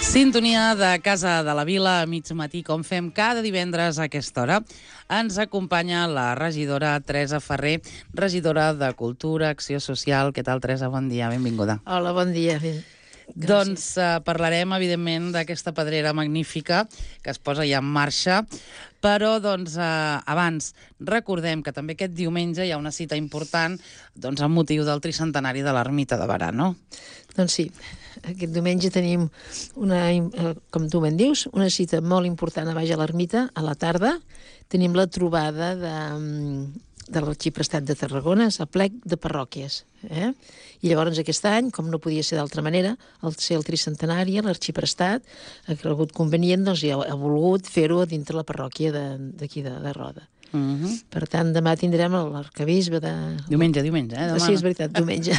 Sintonia de Casa de la Vila a mig matí, com fem cada divendres a aquesta hora. Ens acompanya la regidora Teresa Ferrer, regidora de Cultura, Acció Social. Què tal, Teresa? Bon dia, benvinguda. Hola, bon dia. Doncs parlarem, evidentment, d'aquesta pedrera magnífica que es posa ja en marxa, però abans recordem que també aquest diumenge hi ha una cita important amb motiu del tricentenari de l'Ermita de Berà, no? Doncs sí, aquest diumenge tenim, com tu ben dius, una cita molt important a baix a l'Ermita, a la tarda. Tenim la trobada de l'Arxiprestat de Tarragona, a plec de parròquies. I llavors aquest any, com no podia ser d'altra manera, al ser el tricentenari, l'Arxiprestat ha cregut convenient i ha volgut fer-ho dintre la parròquia d'aquí de Roda. Per tant, demà tindrem l'arcabisbe de... Diumenge, demà. Sí, és veritat, diumenge.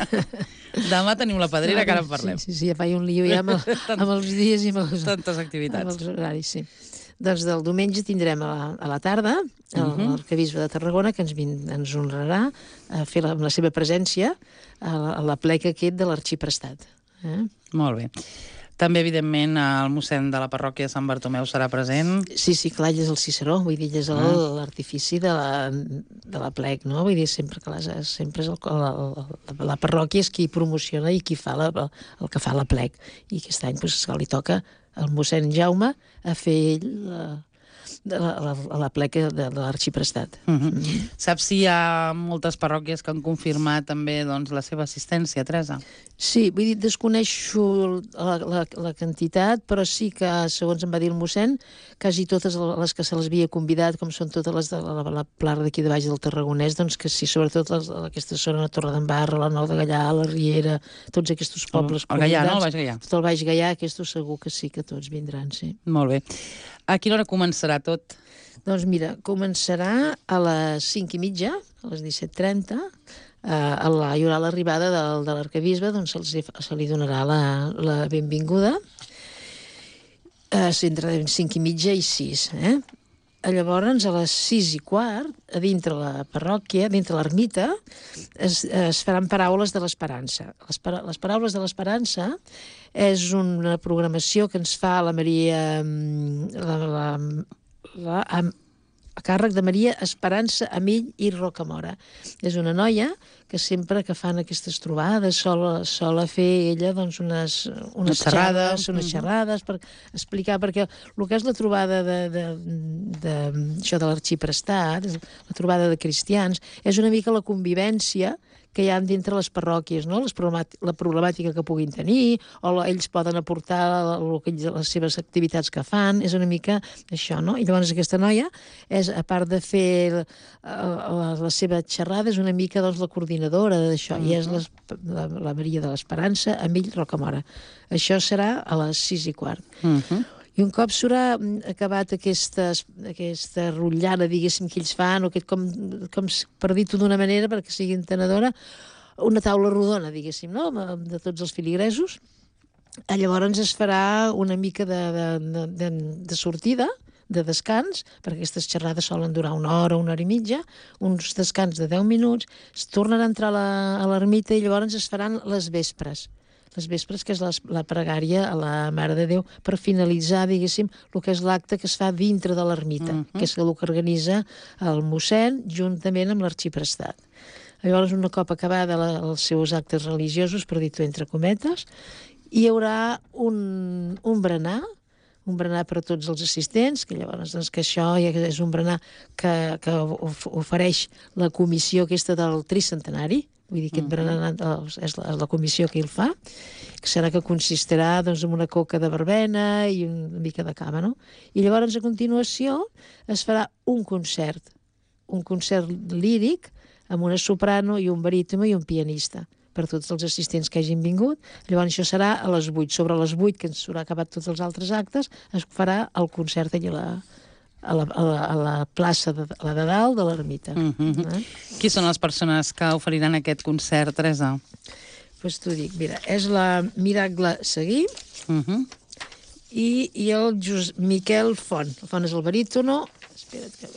Demà tenim la pedrera, que ara en parlem. Sí, ja faig un lío ja amb els dies i amb tantes activitats. Amb els horaris, sí. Doncs del diumenge tindrem a la tarda l'arcabisbe de Tarragona, que ens honrarà amb la seva presència a la plec aquest de l'Arxiprestat. Molt bé. També, evidentment, el mossèn de la parròquia de Sant Bartomeu serà present. Sí, clar, ell és el Ciceró, vull dir, ell és l'artifici de la plec, no? Vull dir, sempre és la parròquia és qui promociona i qui fa el que fa la plec. I aquest any li toca al mossèn Jaume a fer ell la pleca de l'Arxiprestat. Saps si hi ha moltes parròquies que han confirmat també la seva assistència, Teresa? Sí, vull dir, desconeixo la quantitat, però sí que, segons em va dir el mossèn, quasi totes les que se les havia convidat, com són totes les de la plana d'aquí de baix del Tarragonès, doncs que sí, sobretot aquesta zona, la Torredembarra, la Nou de Gallà, la Riera, tots aquests pobles convidats. El Gallà, no? El Baix Gallà. Tot el Baix Gallà, aquests segur que sí, que tots vindran, sí. Molt bé. A quina hora començarà tot? Doncs mira, començarà a les 5:30, a les 17:30, hi haurà l'arribada de l'arcabisbe, doncs se li donarà la benvinguda, entre 5:30 i 6. Llavors, a les 6:15, a dintre la parròquia, dintre l'ermita, es faran paraules de l'esperança. Les paraules de l'esperança és una programació que ens fa la Maria, a càrrec de Maria Esperança Amill i Rocamora. És una noia que sempre que fan aquestes trobades sol fer ella unes xerrades per explicar, perquè el que és la trobada això de l'Arxiprestat, la trobada de cristians, és una mica la convivència que hi ha dintre les parròquies, no? La problemàtica que puguin tenir, o ells poden aportar les seves activitats que fan, és una mica això, no? I llavors aquesta noia, a part de fer la seva xerrada, és una mica la coordinadora d'això, i és la Maria de l'Esperança Amill Rocamora. Això serà a les 6:15. I un cop s'haurà acabat aquesta rotllana, diguéssim, que ells fan, o com per dir-ho d'una manera, perquè sigui entenedora, una taula rodona, diguéssim, no?, de tots els filigresos. Llavors es farà una mica de sortida, de descans, perquè aquestes xerrades solen durar 1 hora, 1 hora i mitja, uns descans de 10 minuts, es tornarà a entrar a l'ermita i llavors es faran les vespres, que és la pregària a la Mare de Déu, per finalitzar, diguéssim, el que és l'acte que es fa dintre de l'ermita, que és el que organitza el mossèn juntament amb l'Arxiprestat. Llavors, un cop acabada els seus actes religiosos, per dir-ho entre cometes, hi haurà un berenar per a tots els assistents, que llavors que això és un berenar que ofereix la comissió aquesta del tricentenari. Vull dir, aquest berenar és la comissió que el fa, que consistirà en una coca de verbena i una mica de cava, no? I llavors, a continuació, es farà un concert líric amb una soprano i un barítono i un pianista per tots els assistents que hagin vingut. Llavors això serà a les 8. Sobre les 8, que ens haurà acabat tots els altres actes, es farà el concert allà a la plaça de dalt de l'ermita. Qui són les persones que oferiran aquest concert, Teresa? Doncs t'ho dic, mira, és la Miracle Seguí i el Miquel Font. El Font és el barítono. Espera't que...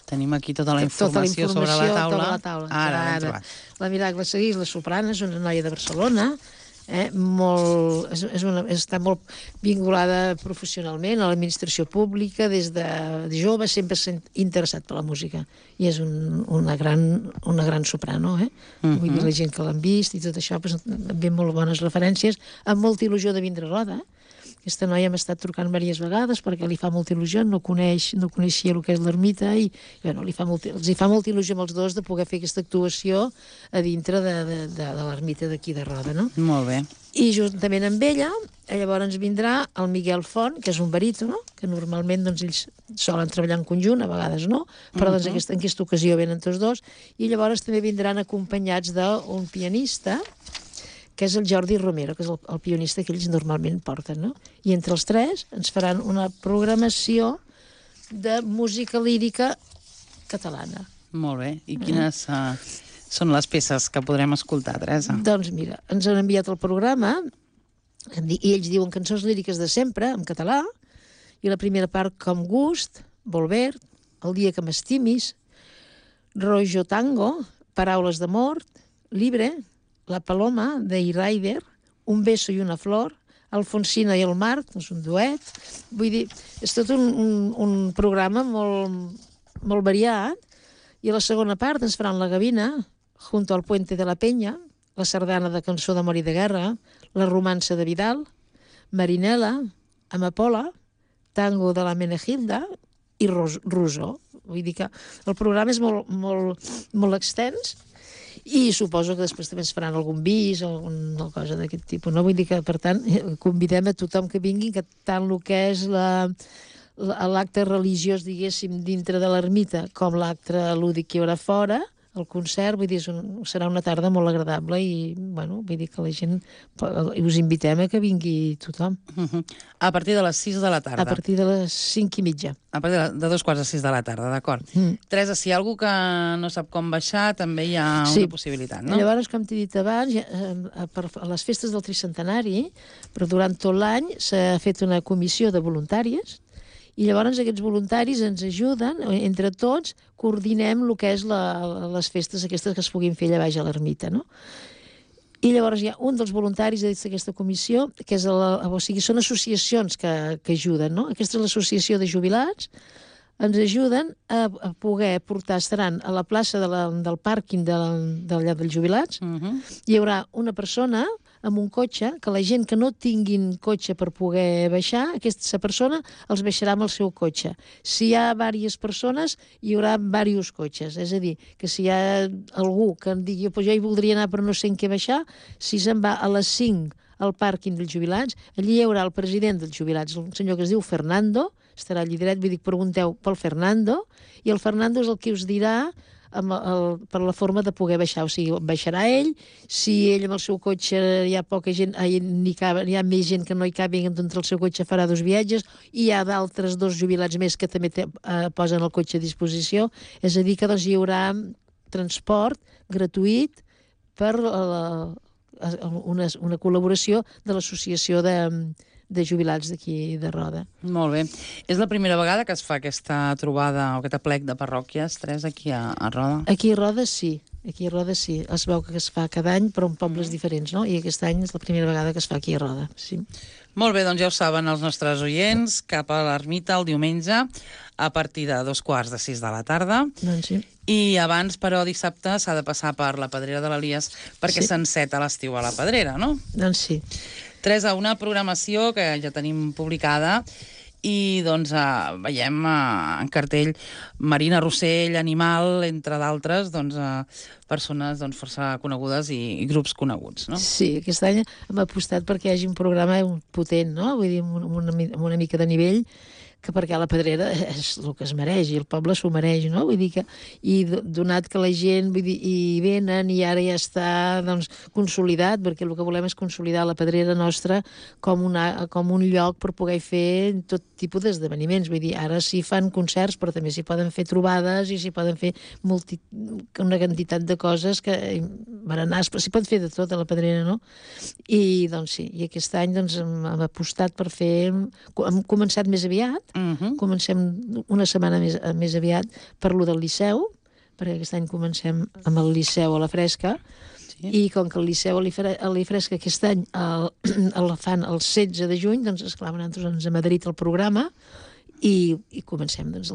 Tenim aquí tota la informació sobre la taula. Ara l'hem trobat. La Miracle Seguí és la soprana, és una noia de Barcelona, està molt vinculada professionalment a l'administració pública, des de jove sempre s'ha interessat per la música, i és una gran soprano, Vull dir, la gent que l'han vist i tot això, ve molt bones referències, amb molta il·lusió de vindre a Roda. Aquesta noia m'ha estat trucant diverses vegades perquè li fa molta il·lusió, no coneixia el que és l'ermita, i bueno, els hi fa molta il·lusió amb els dos de poder fer aquesta actuació a dintre de l'ermita d'aquí de Roda, no? Molt bé. I juntament amb ella, llavors vindrà el Miguel Font, que és un baríton, que normalment doncs, ells solen treballar en conjunt, a vegades no, però doncs, en aquesta ocasió venen tots dos, i llavors també vindran acompanyats d'un pianista, que és el Jordi Romero, que és el pianista que ells normalment porten, no? I entre els tres ens faran una programació de música lírica catalana. Molt bé. I quines són les peces que podrem escoltar, Teresa? Doncs mira, ens han enviat el programa i ells diuen cançons líriques de sempre, en català, i la primera part, Com gust, Volver, El dia que m'estimis, Rojo Tango, Paraules d'amor, Libre, La Paloma, de Rider, Un beso i una flor, Alfonsina i el mar, és un duet. Vull dir, és tot un programa molt variat, i a la segona part ens faran La Gavina, Junto al puente de la Peña, la sardana de Cançó d'amor i de guerra, La romança de Vidal, Marinela, Amapola, Tango de la Menegilda i Rousseau. Vull dir que el programa és molt extens, i suposo que després també ens faran algun bis o alguna cosa d'aquest tipus, no? Vull dir que, per tant, convidem a tothom que vingui, que tant el que és l'acte religiós, diguéssim, dintre de l'ermita, com l'acte lúdic que hi haurà fora, el concert, vull dir, serà una tarda molt agradable, i, bueno, vull dir que la gent, us invitem a que vingui tothom. A partir de les 6 de la tarda. A partir de les 5:30. A partir de 2:45 de la tarda, d'acord. Teresa, si hi ha algú que no sap com baixar, també hi ha una possibilitat, no? Llavors, com t'he dit abans, a les festes del tricentenari, però durant tot l'any s'ha fet una comissió de voluntàries, i llavors aquests voluntaris ens ajuden, entre tots, coordinem el que és les festes aquestes que es puguin fer allà baix a l'ermita, no? I llavors hi ha un dels voluntaris d'aquesta comissió, que és són associacions que ajuden, no? Aquesta és l'associació de jubilats, ens ajuden a poder portar, estaran a la plaça del pàrquing de llar dels jubilats, hi haurà una persona amb un cotxe, que la gent que no tinguin cotxe per poder baixar, aquesta persona els baixarà amb el seu cotxe. Si hi ha diverses persones, hi haurà diversos cotxes. És a dir, que si hi ha algú que em digui jo hi voldria anar però no sé en què baixar, si se'n va a les 5 al pàrquing dels jubilats, allí hi haurà el president dels jubilats, un senyor que es diu Fernando, estarà allí dret, vull dir, pregunteu pel Fernando, i el Fernando és el que us dirà per la forma de poder baixar, o sigui, baixarà ell, si ell amb el seu cotxe hi ha poca gent, hi ha més gent que no hi cabi, doncs el seu cotxe farà 2 viatges, i hi ha d'altres 2 jubilats més que també posen el cotxe a disposició, és a dir, que doncs hi haurà transport gratuït per una col·laboració de l'associació de jubilats d'aquí de Roda. Molt bé. És la primera vegada que es fa aquesta trobada o aquest aplec de parròquies, Teresa, aquí a Roda? Aquí a Roda sí. Aquí a Roda sí. Es veu que es fa cada any, però en pobles diferents, no? I aquest any és la primera vegada que es fa aquí a Roda, sí. Molt bé, doncs ja ho saben els nostres oients, cap a l'ermita el diumenge, a partir de 5:45 de la tarda. Doncs sí. I abans, però, dissabte s'ha de passar per la Pedrera de l'Elies perquè s'enceta l'estiu a la Pedrera, no? Doncs sí. Teresa, una programació que ja tenim publicada i doncs veiem en cartell Marina Rossell, Animal, entre d'altres, doncs persones força conegudes i grups coneguts, no? Sí, aquest any hem apostat perquè hi hagi un programa potent, no? Vull dir, amb una mica de nivell, que perquè la Pedrera és el que es mereix, i el poble s'ho mereix, no? Vull dir que, i donat que la gent, vull dir, hi venen, i ara ja està, doncs, consolidat, perquè el que volem és consolidar la Pedrera nostra com un lloc per poder fer tot tipus d'esdeveniments. Vull dir, ara s'hi fan concerts, però també s'hi poden fer trobades i s'hi poden fer una quantitat de coses que berenars, però s'hi pot fer de tot a la Pedrera, no? I, doncs, sí, i aquest any, doncs, hem apostat per fer... Hem començat més aviat, comencem una setmana més aviat per lo del Liceu, perquè aquest any comencem amb el Liceu a la Fresca, I com que el Liceu a l'Ifresca aquest any el fan el 16 de juny, doncs esclar, nosaltres ens hem adherit al programa i comencem doncs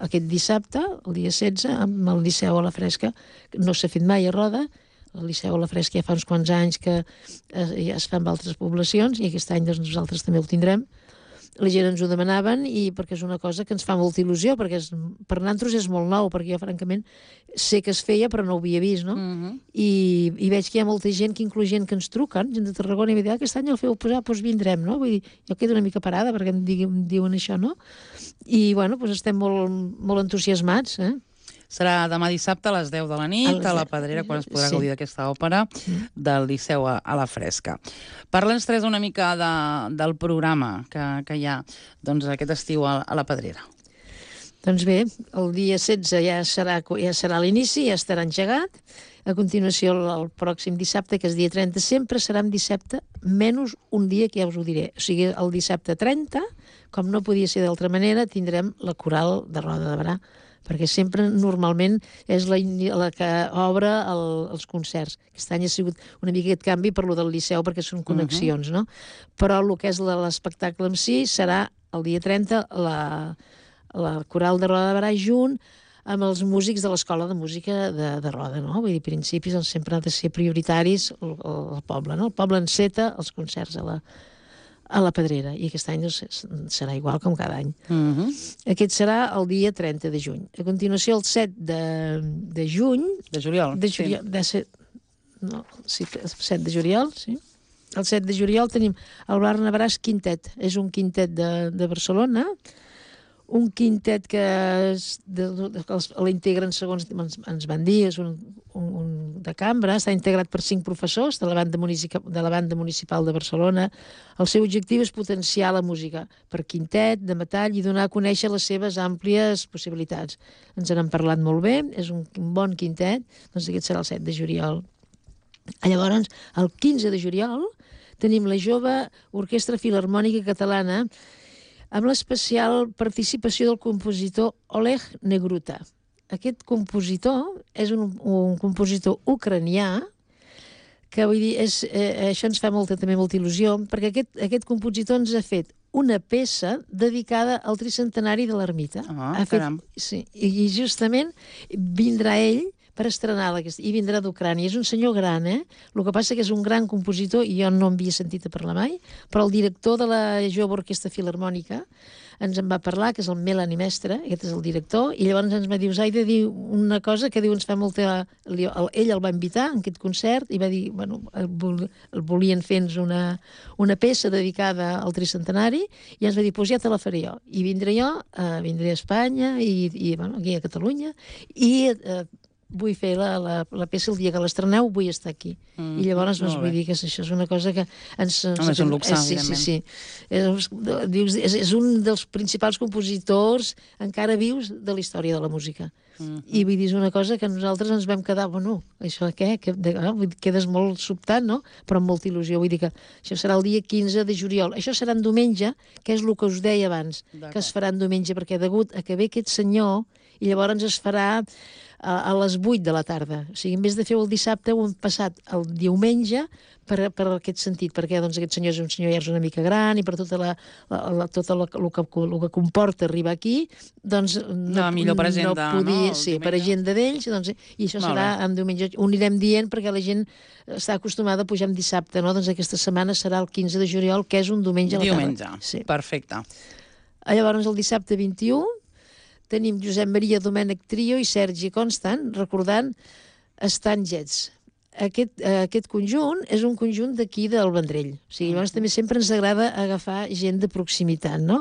aquest dissabte, el dia 16, amb el Liceu a la Fresca. No s'ha fet mai a Roda, el Liceu a la Fresca ja fa uns quants anys que ja es fa amb altres poblacions i aquest any doncs, nosaltres també ho tindrem. La gent ens ho demanaven i perquè és una cosa que ens fa molta il·lusió, perquè per nosaltres és molt nou, perquè jo francament sé que es feia però no ho havia vist, no? I veig que hi ha molta gent, que inclús gent que ens truquen, gent de Tarragona, i em diuen, aquest any el feu posar, doncs vindrem, no? Vull dir, jo quedo una mica parada perquè em diuen això, no? I, bueno, doncs estem molt, molt entusiasmats, Serà demà dissabte a les 10 de la nit, a la Pedrera, quan es podrà gaudir d'aquesta òpera del Liceu a la Fresca. Parla'ns, Teresa, una mica del programa que hi ha aquest estiu a la Pedrera. Doncs bé, el dia 16 ja serà l'inici, ja estarà engegat. A continuació, el pròxim dissabte, que és dia 30, sempre serà en dissabte, menys un dia que ja us ho diré. O sigui, el dissabte 30, com no podia ser d'altra manera, tindrem la coral de Roda de Berà, perquè sempre, normalment, és la que obre els concerts. Aquest any ha sigut una mica aquest canvi per lo del Liceu, perquè són connexions, no? Però el que és l'espectacle en si serà el dia 30, la coral de Roda de Berà junt amb els músics de l'Escola de Música de Roda, no? Vull dir, principis doncs, sempre han de ser prioritaris el poble, no? El poble enceta els concerts a la Pedrera, i aquest any serà igual com cada any. Aquest serà el dia 30 de juny. A continuació, el 7 de juny... De juliol. No, sí, el 7 de juliol, sí. El 7 de juliol tenim el Barnabràs Quintet. És un quintet de Barcelona, un quintet que l'integren, segons ens van dir, és un de cambra, està integrat per 5 professors de la banda municipal de Barcelona. El seu objectiu és potenciar la música per quintet, de metall, i donar a conèixer les seves àmplies possibilitats. Ens n'han parlat molt bé, és un bon quintet, doncs aquest serà el 7 de juliol. Llavors, el 15 de juliol tenim la jove Orquestra Filharmònica Catalana, amb l'especial participació del compositor Oleg Negruta. Aquest compositor és un compositor ucranià, que vull dir, això ens fa molta il·lusió, perquè aquest compositor ens ha fet una peça dedicada al tricentenari de l'ermita. Caram. Sí, i justament vindrà ell per estrenar i vindrà d'Ucrània. És un senyor gran, El que passa que és un gran compositor, i jo no en havia sentit a parlar mai, però el director de la jove Orquestra Filharmònica ens en va parlar, que és el Melanie Mestre, aquest és el director, i llavors ens va dir, us he de dir una cosa que diu, ens fa molta... Ell el va invitar en aquest concert i va dir, bueno, el volien fer-nos una peça dedicada al tricentenari, i ens va dir, doncs ja te la faré jo. I vindré jo, vindré a Espanya, i bueno, aquí a Catalunya, i vull fer la peça el dia que l'estreneu, vull estar aquí. I llavors vull dir que això és una cosa que ens... És un luxe, evidentment. Sí. És un dels principals compositors encara vius de la història de la música. I vull dir, és una cosa que nosaltres ens vam quedar, bueno, això què? Quedes molt sobtat, no? Però amb molta il·lusió. Vull dir que això serà el dia 15 de juliol. Això serà en diumenge, que és el que us deia abans, que es farà en diumenge, perquè degut a que ve aquest senyor, i llavors es farà a les 8 de la tarda. O sigui, en vez de fer el dissabte, ho hem passat el diumenge per aquest sentit, perquè doncs, aquest senyor és un senyor ja és una mica gran, i per tot el que comporta arribar aquí, doncs no podia ser per agenda d'ells, doncs, i això serà en diumenge. Ho anirem dient perquè la gent està acostumada a pujar en dissabte, no? Doncs aquesta setmana serà el 15 de juliol, que és un diumenge a la tarda. Diumenge, perfecte. Llavors, el dissabte 21, tenim Josep Maria Domènech Trio i Sergi Constant, recordant Stan Getz. Aquest conjunt és un conjunt d'aquí del Vendrell. O sigui, llavors també sempre ens agrada agafar gent de proximitat, no?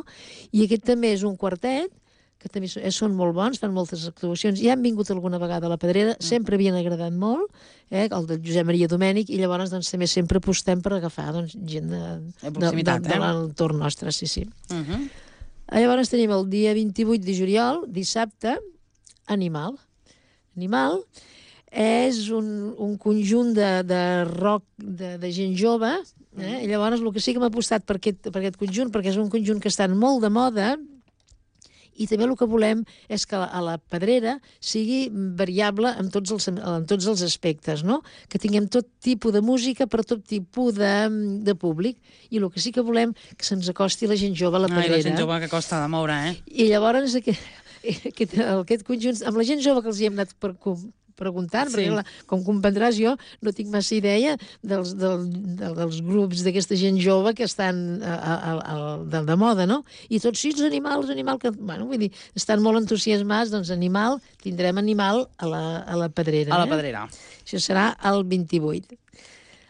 I aquest també és un quartet, que també són molt bons, fan moltes actuacions. Ja han vingut alguna vegada a la Pedrera, sempre havien agradat molt, el de Josep Maria Domènech, i llavors doncs, també sempre apostem per agafar gent de l'entorn nostre, sí. Llavors tenim el dia 28 de juliol, dissabte, Animal. Animal és un conjunt de rock de gent jove, i llavors el que sí que m'ha apostat per aquest conjunt, perquè és un conjunt que està molt de moda, I també el que volem és que a la Pedrera sigui variable en tots els aspectes, no? Que tinguem tot tipus de música per tot tipus de públic. I el que sí que volem que se'ns acosti la gent jove a la Pedrera. La gent jove que costa de moure, I llavors aquest conjunt, amb la gent jove que els hi hem anat preguntant, perquè clar, com comprendràs jo no tinc massa idea dels grups d'aquesta gent jove que estan de moda, no? I tots sí, els animals, que, bueno, vull dir, estan molt entusiasmats, doncs tindrem animal a la Pedrera. A la Pedrera. Això serà el 28.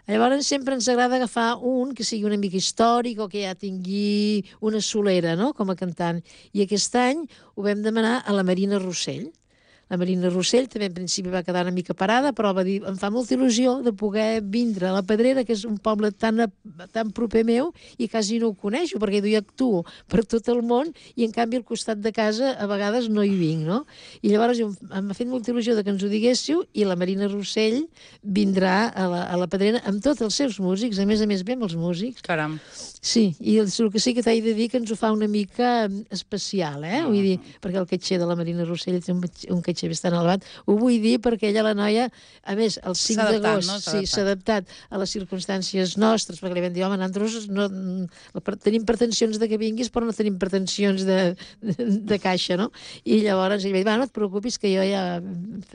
Llavors sempre ens agrada agafar un que sigui una mica històric o que ja tingui una solera, no?, com a cantant. I aquest any ho vam demanar a la Marina Rossell. La Marina Rossell també en principi va quedar una mica parada, però va dir, em fa molta il·lusió de poder vindre a la Pedrera, que és un poble tan proper meu, i quasi no ho coneixo, perquè jo actuo per tot el món, i en canvi al costat de casa a vegades no hi vinc, no? I llavors m'ha fet molta il·lusió que ens ho diguéssiu, i la Marina Rossell vindrà a la Pedrera amb tots els seus músics, a més ve amb els músics. Caram. Sí, i el que sí que t'he de dir que ens ho fa una mica especial, vull dir, perquè el caixer de la Marina Rossell té un caixer bastant elevat. Ho vull dir perquè ella, la noia, a més, el 5 d'agost s'ha adaptat a les circumstàncies nostres, perquè li vam dir, home, nosaltres tenim pretensions de que vinguis, però no tenim pretensions de caixa, no? I llavors ella va dir, no et preocupis que jo ja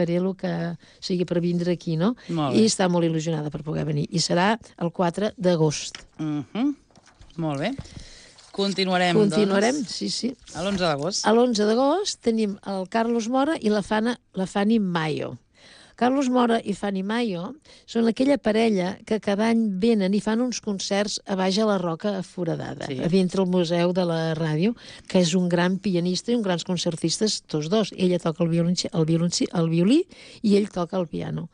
faré el que sigui per vindre aquí, no? I està molt il·lusionada per poder venir. I serà el 4 d'agost. Molt bé. Continuarem, sí. A l'11 d'agost. A l'11 d'agost tenim el Carlos Mora i la Fanny Mayo. Carlos Mora i Fanny Mayo són aquella parella que cada any venen i fan uns concerts a baix a la Roca Foradada, a dintre el Museu de la Ràdio, que és un gran pianista i un grans concertistes, tots dos. Ella toca el violí i ell toca el piano.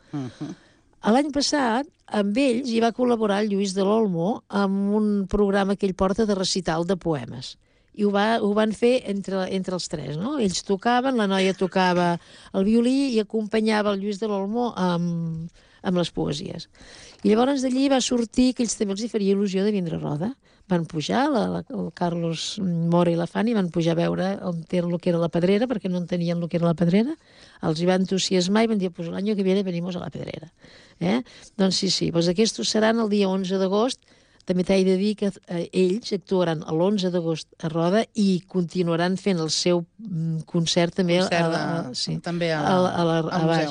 L'any passat, amb ells hi va col·laborar el Lluís de l'Olmo amb un programa que ell porta de recital de poemes. I ho van fer entre els tres, no? Ells tocaven, la noia tocava el violí i acompanyava el Lluís de l'Olmo amb les poesies. I llavors d'allí va sortir que ells també els hi faria il·lusió de vindre a Roda. Van pujar, el Carlos Mora i la Fanny van pujar a veure on era el que era la Pedrera, perquè no entenien el que era la Pedrera. Els hi va entusiasmar i van dir, pues el año que viene venimos a la Pedrera. Doncs sí, doncs aquests seran el dia 11 d'agost. També t'he de dir que ells actuaran l'11 d'agost a Roda i continuaran fent el seu concert també a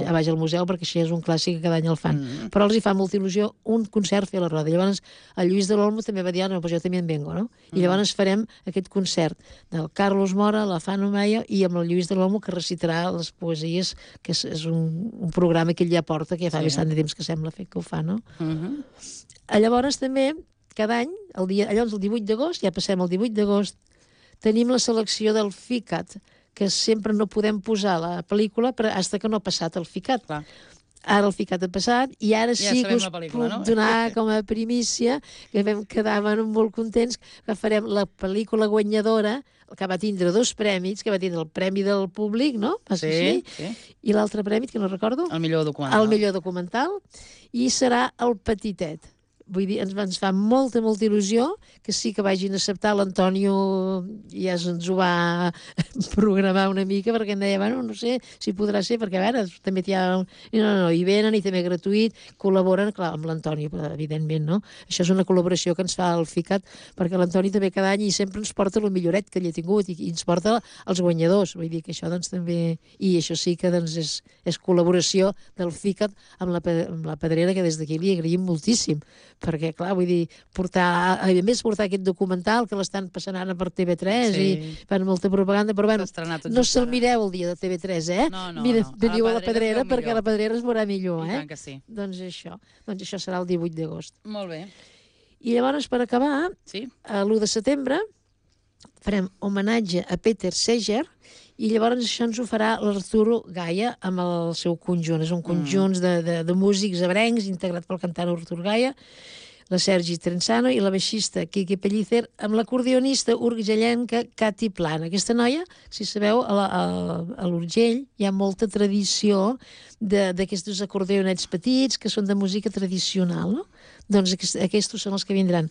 baix al museu, perquè això és un clàssic que cada any el fan. Però els hi fa molta il·lusió un concert fer a la Roda. I llavors el Lluís de l'Olmo també va dir, no, pues jo també en vengo, no? I llavors farem aquest concert del Carlos Mora, la Fanny Mayo i amb el Lluís de l'Olmo, que recitarà les poesies, que és un programa que ell ja porta, que ja fa bastant de temps que sembla fer que ho fa, no? Llavors també cada any, llavors el 18 d'agost, ja passem el 18 d'agost, tenim la selecció del FICAT, que sempre no podem posar la pel·lícula fins que no ha passat el FICAT. Ara el FICAT ha passat i ara sí que us puc donar com a primícia, que vam quedar molt contents, que farem la pel·lícula guanyadora, que va tindre 2 premis, que va tindre el Premi del Públic, no? Sí. I l'altre premi, que no recordo. El millor documental. El millor documental. I serà El Petitet. Vull dir, ens fa molta il·lusió que sí que vagin a acceptar. L'Antonio ja ens ho va programar una mica, perquè em deia, bueno, no sé si podrà ser, perquè a veure, també hi ha... No, hi venen i també gratuït, col·laboren, clar, amb l'Antonio, evidentment, no? Això és una col·laboració que ens fa el FICAT, perquè l'Antoni també cada any i sempre ens porta el milloret que ell ha tingut i ens porta els guanyadors. Vull dir que això doncs també... I això sí que doncs és col·laboració del FICAT amb la Pedrera, que des d'aquí li agraïm moltíssim, perquè, clar, vull dir, a més portar aquest documental que l'estan passant ara per TV3 i fan molta propaganda, però bueno, no se'l mireu el dia de TV3, veniu a la Pedrera perquè la Pedrera es veurà millor, I tant que sí. Doncs això serà el 18 d'agost. Molt bé. I llavors, per acabar, l'1 de setembre farem homenatge a Peter Seeger, i llavors això ens ho farà l'Arturo Gaia amb el seu conjunt. És un conjunt de músics ebrencs integrat pel cantant Arturo Gaia, la Sergi Trenzano i la baixista Quique Pellicer, amb l'acordionista urgellenca Cati Plana. Aquesta noia, si sabeu, a l'Urgell hi ha molta tradició d'aquests acordeonets petits que són de música tradicional, no? Doncs aquests són els que vindran.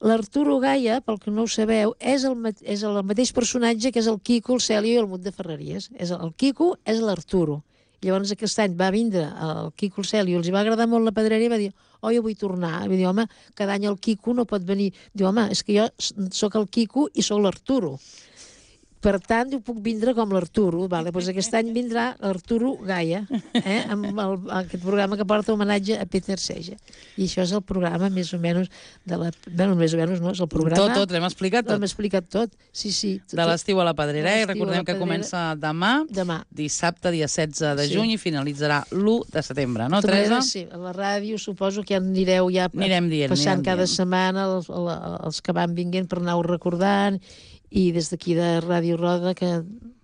L'Arturo Gaia, pel que no ho sabeu, és el mateix personatge que és el Quico, el Cèlio i el Mut de Ferreries. El Quico és l'Arturo. Llavors aquest any va vindre el Quico, el Cèlio, els va agradar molt la pedrera i va dir, jo vull tornar. Va dir, home, cada any el Quico no pot venir. Diu, home, és que jo sóc el Quico i sóc l'Arturo. Per tant, jo puc vindre com l'Arturo. Vale? Doncs aquest any vindrà l'Arturo Gaia, amb aquest programa que porta homenatge a Peter Seja. I això és el programa, més o menys, més o menys no, és el programa... Tot, l'hem explicat tot. L'hem explicat tot, sí. De l'estiu a la Pedrera, i recordem que comença demà, dissabte, dia 16 de juny, i finalitzarà l'1 de setembre, no, Teresa? Sí, a la ràdio suposo que ja anireu passant cada setmana els que van vinguent per anar-ho recordant, i des d'aquí de Ràdio Roda, que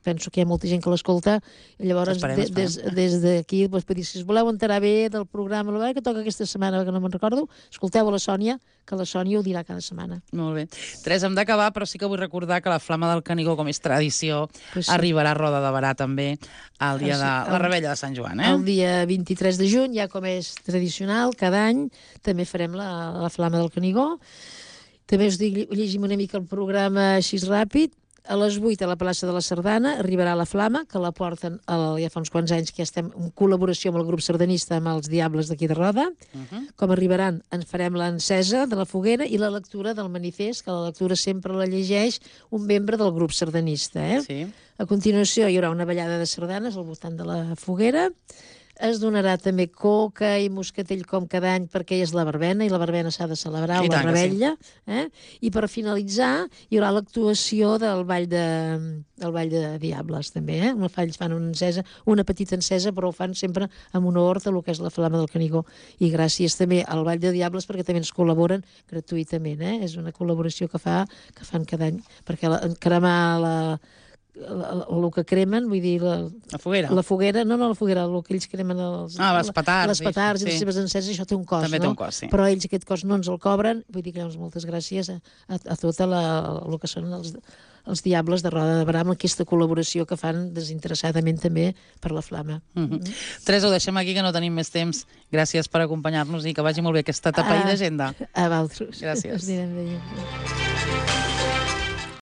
penso que hi ha molta gent que l'escolta, llavors des d'aquí per dir, si us voleu enterar bé del programa que toca aquesta setmana, que no me'n recordo, escolteu a la Sònia, que la Sònia ho dirà cada setmana. Molt bé. Teresa, hem d'acabar, però sí que vull recordar que la Flama del Canigó, com és tradició, arribarà a Roda de Berà també el dia de la Rebella de Sant Joan. El dia 23 de juny, ja com és tradicional, cada any també farem la Flama del Canigó. També us dic, llegim una mica el programa així ràpid. A les 8 a la plaça de la Sardana arribarà la Flama, que la porten ja fa uns quants anys que estem en col·laboració amb el grup sardanista, amb els Diables d'aquí de Roda. Com arribaran, en farem l'encesa de la foguera i la lectura del manifest, que la lectura sempre la llegeix un membre del grup sardanista. A continuació hi haurà una ballada de sardanes al voltant de la foguera. Es donarà també coca i moscatell com cada any perquè és la verbena, i la verbena s'ha de celebrar, la rebella. I per finalitzar hi haurà l'actuació del Ball de Diables, també. Ells fan una petita encesa, però ho fan sempre amb honor a lo que és la Flama del Canigó. I gràcies també al Ball de Diables perquè també ens col·laboren gratuïtament. És una col·laboració que fan cada any, perquè cremar el que cremen, vull dir... La foguera? La foguera, no la foguera, el que ells cremen... les petards. Les petards i les seves enceses, això té un cost, no? També té un cost, sí. Però ells aquest cost no ens el cobren, vull dir que moltes gràcies a tot el que són els Diables de Roda de Berà, amb aquesta col·laboració que fan desinteressadament també per la Flama. Teresa, ho deixem aquí, que no tenim més temps. Gràcies per acompanyar-nos i que vagi molt bé aquesta etapa i d'agenda. A vosaltres. Gràcies. Us anirem veient.